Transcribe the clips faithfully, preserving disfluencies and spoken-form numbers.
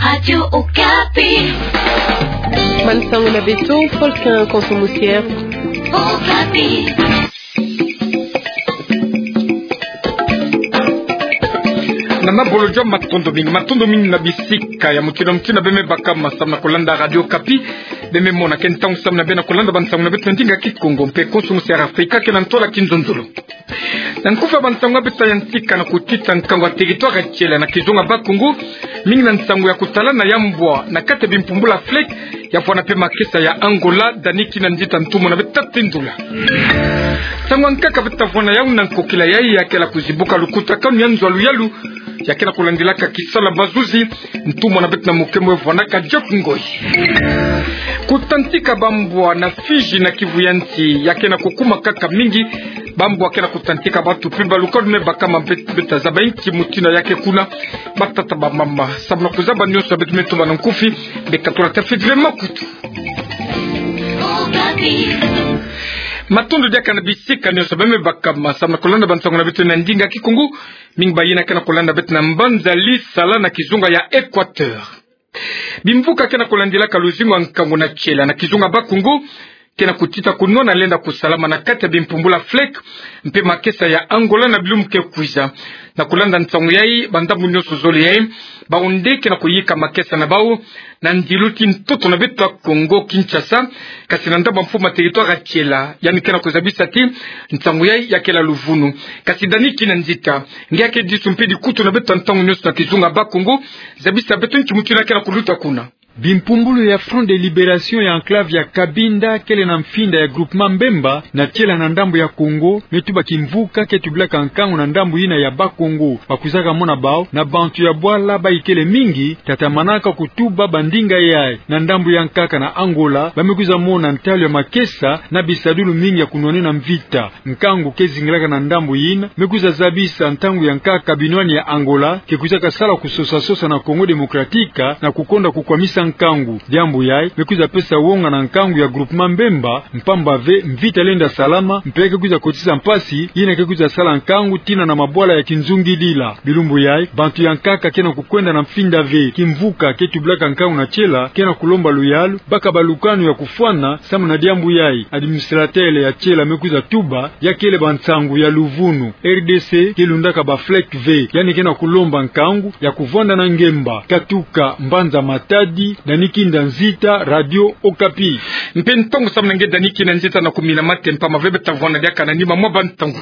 Radio Okapi. Bansango na beto, Paul Quin Konso Mosier. Okapi. Na mabolojo, matondo mingi, matondo mingi na bisika ya mutindu na mutindu beme baka ma samu na kolanda Radio Okapi. Beme mona ke ntangu samu na beno kolanda bansango na beto na ndinga Kikongo mpe Konso Mosier Afrika ke na ntwala Kinzonzolo. Na nkufi ya bansango ya beto ya ntika, na kutita nkangu ya territoire ya Tshela na kizunga Bas-Congo, mingi na nsangu ya kutalana ya mbwa na kati ya bimpumbulu ya FLEC, ya vwanda mpe makesa ya Angola, Dani Kinanzita, ntumwa na beto ta tindula. Nsangu ya nkaka beto ta vwanda yau na nkokila yayi ya ke na kuzibuka lukutakanu ya nzo ya luyalu, ya ke na kulandilaka kisalu ya bazuzi, ntumwa na beto na muke mwe vwandaka Job Ngoyi. Kutantika bambwa na Fidji na Kivu ya nsi ya ke na kukuma kaka mingi. Bambwa ke na kutantika, bantu mpe balukanu me baka ma, beto ta zaba inki mutindu ya ke kuna. Batata, bamama, samu na kuzaba nyonso, beto me tuba na nkufi, beka tula ta fidile makutu. Matondo diaka na bisika nyonso beme baka ma samu na kolanda bansango na beto na ndinga Kikongo. Mingi bayina ke na kolanda beto na mbanza Lisala na kizunga ya Equateur. Bimvuka ke na kulandilaka luzingu ya nkangu na Tshela na kizunga Bas-Congo ke na kutita kunwana lenda kusalama na kati ya bimpumbulu ya FLEC mpe makesa ya Angola na bilumbu ke kwiza. Na kulanda nsangu yayi, bandambu nyonso zole yayi, bawu nde ke na kuyika makesa na bawu na ndilu ti ntoto na beto ya Congo Kinshasa, kasi na ndambu ya mfumu ya territoire ya Tshela, yandi ke na kuzabisa ti nsangu yayi ya kele ya luvunu. Kasi Dani Kinanzita, nge ya ke disu mpe dikutu na beto ntangu nyonso na kizunga Bas-Congo, zabisa beto nki mutindu ya ke na kuluta kuna. Bimpumbulu ya Front de Libération ya enclave ya Cabinda kele na mfinda ya groupement Mbemba na Tshela na ndambu ya Congo, me tuba kimvuka ke tubilaka nkangu na ndambu yina ya Bas-Congo. Bakwizaka mona bawu na bantu ya bwala bayikele mingi, tatamanaka kutuba bandinga yayi. Na ndambu ya nkaka na Angola, ba me kwiza mona ntalu ya makesa na bisadulu mingi ya kunwanina mvita. Nkangu ke zingilaka na ndambu yina me kwiza zabisa ntangu ya nkaka binwani ya Angola ke kwizaka sala kusosa-sosa na Congo Démocratique na kukonda kukwamisa nkangu. Diambu yayi me kwiza pesa wonga na nkangu ya groupement Mbemba, mpamba ve mvita lenda salama, mpe ke kwiza kotisa mpasi yina ke kwiza sala nkangu tina na mabwala ya kinzungidila. Bilumbu yayi, bantu ya nkaka ke na kukwenda na mfinda ve kimvuka ke tubilaka nkangu na Tshela, ke na kulomba luyalu, baka balukanu ya kufwana. Samu na diambu yayi, administrateur ya Tshela me kwiza tuba ya kele bansangu ya luvunu. R D C ke lundaka ba FLEC ve, yandi ke na kulomba nkangu ya kuvwanda na ngemba. Katuka mbanza Matadi, Dani Kinanzita, Radio Okapi. Mpe ntangu samu na nge Dani Kinanzita na kumina mate, mpamba ve beto ta vwanda diaka na nima mwa bantangu.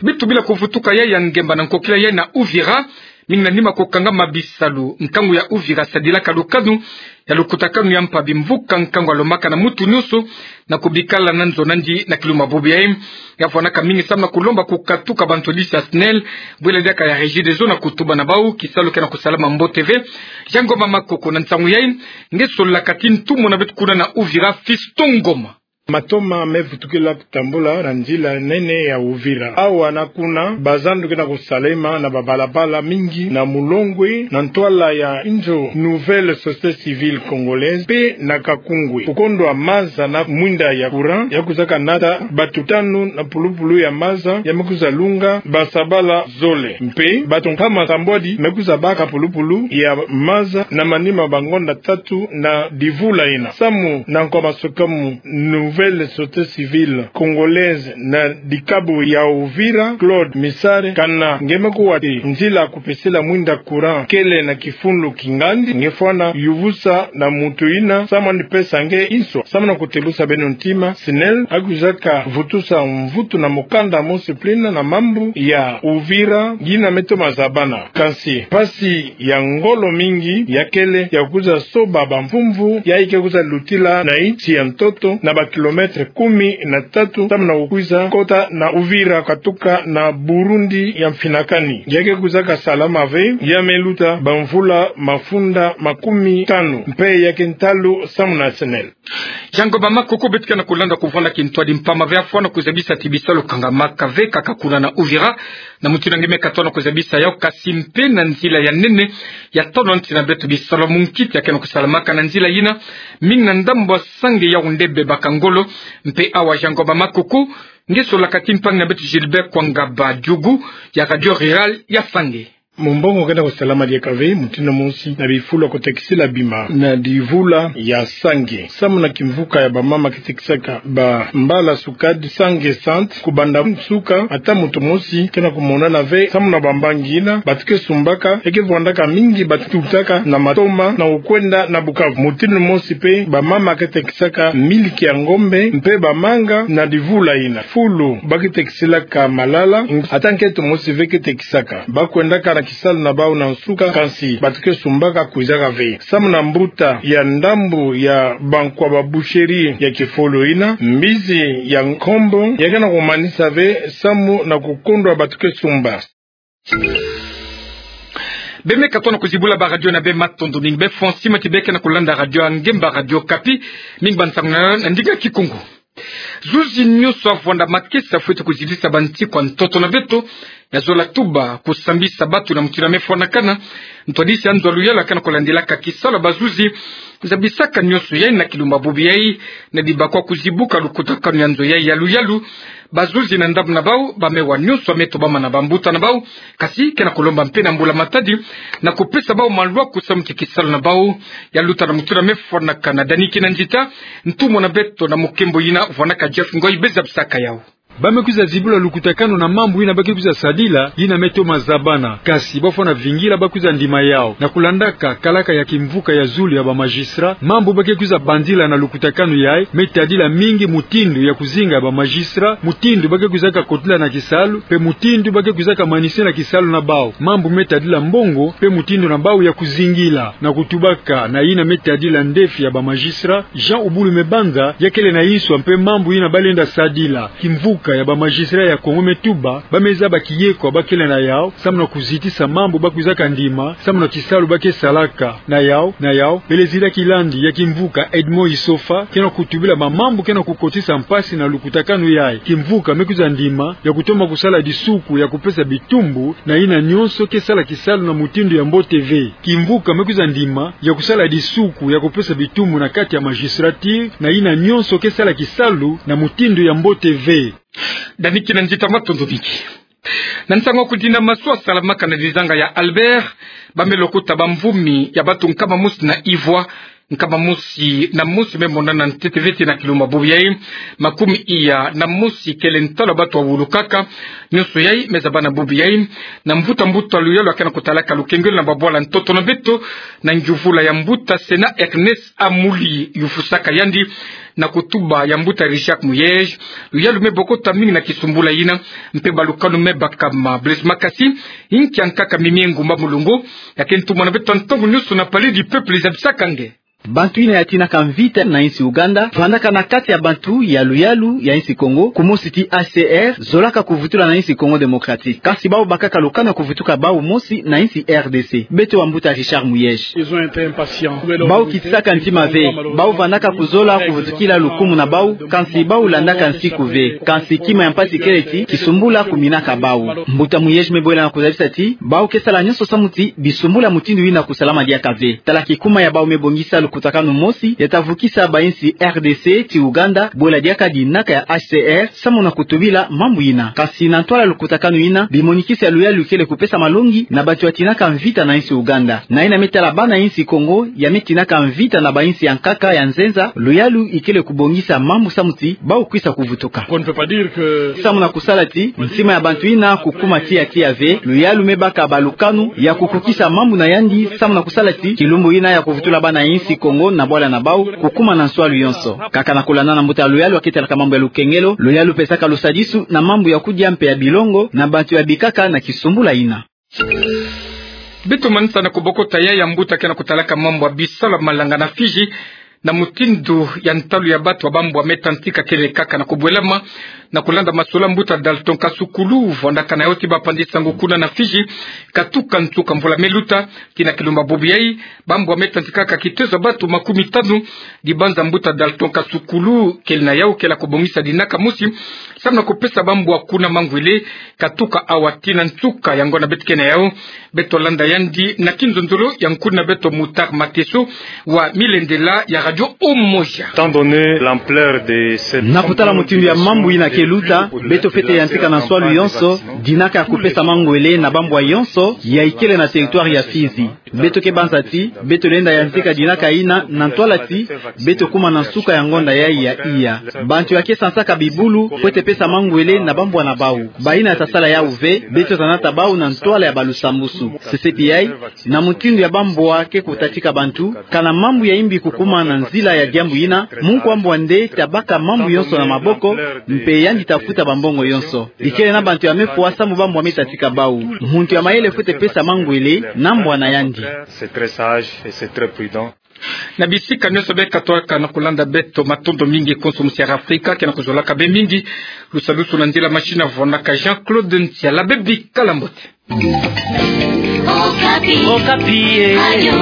Beto bila kuvutuka yayi ya ngemba na nkokila yayi na Uvira, mingi na nima kukangama bisalu. Nkangu ya Uvira sadilaka lukanu ya lukutakanu ya mpa bimvuka nkangu ya lomaka na muntu nyonso na kubikala na nzo nandi na kilumbu bubu yayi. Ya vwandaka mingi samu na kulomba kukatuka bantu disi ya SNEL, bwela diaka ya Regideso na kutuba na bawu kisalu ke na kusalama mbote ve. Jean Ngoma Makoko, na nsangu yayi, nge solaka ti ntumwa na beto kuna na Uvira, Fiston Ngoma. Matoma me vutukila kutambula na nzila nene ya Uvira. Awa na kuna, bazandu ke na kusalema na babalabala mingi na mulongwe, na ntwala ya inzo Nouvelle Société Civile Congolaise, mpe na Kakungwe. Kukondwa maza na mwinda ya courant ya kwizaka nata bantu tanu na pulupulu ya maza ya me kwiza lunga basabala zole. Mpe bantu nkama sambwadi me kwiza baka pulupulu ya maza na manima ma bangonda tatu na divula yina. Samu na nkwa masukamu, Nouvelle Société Civile Congolaise na dikabu ya Uvira, Claude Misare, kana nge me kuwa ti nzila kupesela mwinda courant kele na kifulu kingandi, nge fwana yuvusa na muntu yina samu nipesa nge inso. Samu na kutebusa beno ntima, SNEL ya kwizaka vutusa mvutu na mukanda mu discipline na mambu ya Uvira yina me toma zabana. Kansi mpasi ya ngolo mingi ya kele ya kwiza soba bamvumvu yayi ke kwiza lutila na insi ya ntoto na ba kilomètre kumi na tatu, samu na kukwiza kota na Uvira katuka na Burundi ya mfinakani. Ya ke kwizaka salama ve, ya me luta bamvula mafunda makumi tanu, mpe ya ke ntalu samu na SNEL. Jean Ngoma Makoko, beto ke na kulanda kuvwanda kintwadi mpamba ve ya fwana kuzabisa ti bisalu kangamaka ve kaka kuna na Uvira, na mutindu nge me katono kuzabisa yawu, kasi mpe na nzila ya nene ya tolo nti na beto, bisalu munkiti ya ke na kusalamaka na nzila yina, mingi na ndambu ya Sange, Yaoundé, Bebakangolo, mpe awa Jean Ngoma Makoko, nge solaka ti mpangi na beto Gilbert Kwangaba Diougou ya Radio Rurale ya Sange. Mumbongo kena kusalama diaka ve, mutindu mosi na bifulu ya kutekisila bima na divula ya Sange. Samu na kimvuka ya bamama ke tekisaka bambala sukadi Sange Centre, kubanda nsuka, ata muntu mosi kena kumonana ve. Samu na bambangi yina, bantu ke sumbaka, e ke vwandaka mingi bantu ke tutaka na Matoma na kukwenda na Bukavu. Mutindu mosi mpe, bamama ke tekisaka miliki ya ngombe mpe bamanga na divula yina. Fulu ba ke tekisilaka malala, ata nkento mosi ve ke tekisaka. Ba kwendaka na kisalu na bau na nsuka, kansi bantu ke sumbaka kwizaka ve. Samu na mbuta ya ndambu ya bankwa ba boucherie ya kifulu yina, mbizi ya nkombo ya kena kumanisa ve samu na kukondwa bantu ke sumba. Beno me katuka na kuzibula ba radio na beno, matondo mingi. Beno fwa nsi mati beno kena kulanda radio ya ngemba, Radio Okapi. Mingi ba nsangu na, na ndinga Kikongo. Zuzi nyonso avwanda makesa fweti kuzitisa bantikwa ntoto na beto, ya zola tuba kusambisa bantu na mutindu ya me fwanakana. Ntwadisi ya nzo ya luyalu akana kulandilaka kisalu ya bazuzi, zabisaka nyonso yayi na kilumbu bubu yayi, na dibakwa kuzibuka lukutakanu ya nzo yayi ya luyalu. Bazuzi na ndambu na bau, ba me wa nyonso ya me tobama na bambuta na bau, kasi kena kulomba mpe na mbula-matadi na kupesa bau malwa kusamuti kisalu na bau, ya luta na mutindu ya me fwanakana. Dani Kinanzita, ntumwa na beto na mukembo yina, vwanaka Jeff Ngoi, beno zabisaka yau. Ba me kwiza zibula lukutakanu na mambu yina ba ke kwiza sadila, yina me toma zabana. Kasi ba fwana vingila ba kwiza ndima yau. Na kulandaka kalaka ya kimvuka ya zulu ya ba magistrat, mambu ba ke kwiza bandila na lukutakanu yayi me tadila mingi mutindu ya kuzinga ya ba magistrat, mutindu ba ke kwizaka kotila na kisalu, mpe mutindu ba ke kwizaka manisa na kisalu na bau. Mambu me tadila mbongo, mpe mutindu na bau ya kuzingila. Na kutubaka na yina me tadila ndefi ya ba magistrat, Jean Ubulu Mebanza, ya kele na inswa mpe mambu yina ba lenda sadila. Kimvuka ya ba magistrat ya Kongo me tuba, ba me zaba kiyekwa ba kele na yau, samu na kuzitisa mambu ba kwizaka ndima, samu na kisalu ba ke salaka. Na yau, na yau, Pelezida kilandi ya kimvuka Edmond Isofa, kena kutubila ba mambu kena kukotisa mpasi na lukutakanu yayi. Kimvuka me kwiza ndima ya kutoma kusala disuku ya kupesa bitumbu na yina nyonso ke sala kisalu na mutindu ya mbote ve. Kimvuka me kwiza ndima ya kusala disuku ya kupesa bitumbu na kati ya magistrature na yina nyonso ke sala kisalu na mutindu ya mbote ve. Dani Kinanzita, matondo mingi. Na nsangu ya kudinda masu asalamaka na dizanga ya Albert, ba me lokota bamvumi ya bantu nkama mosi na ivwa, nkama mosi na mosi me monana ntete ve tii na kilumbu bubu yayi. Makumi iya na mosi kele ntalu ya bantu ya wulukaka. Nyonso yayi me zabana bubu yayi na mvuta mbuta ya luyalu akena kutalaka lukengelo na babwala ntoto na beto, na ngiuvula ya mbuta Sena Ernest Amuli, yufusaka yandi na kutuba ya mbuta Richard Muyej. Luyalu me bokota mingi na kisumbula yina, mpe balukanu me bakama. Blaise Makasi, inki ya nkaka Mimie Ngumba Mulongo, ya ke ntumwa na beto ntangu nyonso na Palais du Peuple, zabisaka nge. Bantu yina ya tinaka mvita na insi Uganda vandaka na kati ya bantu ya luyalu ya insi Kongo, kumosi tii H C R, zolaka kuvutula na insi Congo Démocratique. Kasi bau bakaka lukanu ya kuvutuka bau mosi na insi R D C. Beto wa mbuta Richard Muyej. Bau kitisaka ntima ve, bau vandaka kuzola kuvutukila lukumu na bau, kansi bau landaka nsiku ve, kansi kima ya mpasi kele ti kisumbula kuminaka bau. Mbuta Muyej me bwela na kuzabisa ti bau ke sala nyonso samu ti bisumbula mutindu yina kusalama diaka ve. Tala kikuma ya bau me bongisa lukutakanu mosi ya ta vukisa ba insi R D C tii Uganda, bwela diaka dinaka ya H C R, samu na kutubila mambu yina. Kansi na ntwala lukutakanu yina, bimonikisi ya luyalu ikele kupesa malongi na bantu ya tinaka mvita na insi Uganda. Na yina me tala bana insi Kongo ya me tinaka mvita na ba insi ya nkaka ya nzenza, luyalu ikele kubongisa mambu samu ti bau kwisa kuvutuka. Samu na kusala ti ntima ya bantu yina kukuma tiya tiya ve, luyalu me baka balukanu ya kukukisa mambu na yandi, samu na kusala ti kilumbu yina ya kuvutula bana insi Kongo na bwala na bau kukuma na nswalu yonso. Kaka na kulanda na mbuta luyalu ya ketalaka mambu ya lukengelo, luyalu pesaka lusadisu na mambu ya kudia mpe ya bilongo na bantu ya bikaka na kisumbula yina. Beto manisa na kubokota ya ya mbuta kena kutalaka mambu ya bisalu ya malanga na Fidji, na mutindu ya ntalu ya bantu ya bambwa me tantika kele kaka na kubwelama, na kulanda masolo ya mbuta Dalton Kasukulu, vandaka na yo tii bapandi sango kuna na Fidji, katuka nsuka mvula me luta, tii na kilumbu bubu yayi, bambwa me tantikaka kitezo ya bantu makumi tanu. Dibanza mbuta Dalton Kasukulu kele na yau kele ya kubongisa dinaka mosi, samu na kupesa bambwa kuna mangwele, katuka awa tii na nsuka. Yango na beto ke na yau, beto landa yandi na kinzonzolo ya nkuna beto Mutar Mateso wa milendela ya Radio Umoja. Étant donné l'ampleur de cette... Na kutala mutindu ya mambu yina Eluta, beto fwete yantika na nswalu yonso dinaka ya kupesa mangwele na bambwa yonso ya ikele na territoire ya Fizi. Beto ke banza ti beto lenda yantika dinaka ina na ntwala ti beto kuma na nsuka ya ngonda yayi ya iya. Bantu ya ke sansaka bibulu fwete pesa mangwele na bambwa na bau. Bayina ya tasala yawu ve, beto ta nata bau na ntwala ya balusambusu. CCPI, na mutindu ya bambwa ke kutatika bantu, kana mambu ya imbi kukuma na nzila ya diambu yina, mu nkwa mbwa nde tabaka mambu yonso na maboko, mpe yandi tafuta bambongo yonso. Ikele na bantu ya mefwa samu bambwa metatika bau. Muntu ya mayele fwete pesa mangwele na mbwa na yandi. Na bisika nionso beka twaka na kulanda beto, matondo mingi konso musi ya Afrika ke na kuzolaka be mingi. Lusadusu na nzila machine avonaka Jean-Claude Ntiala, bebi kala mbote. Okapi. Okapi, eh. Radio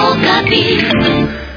Okapi.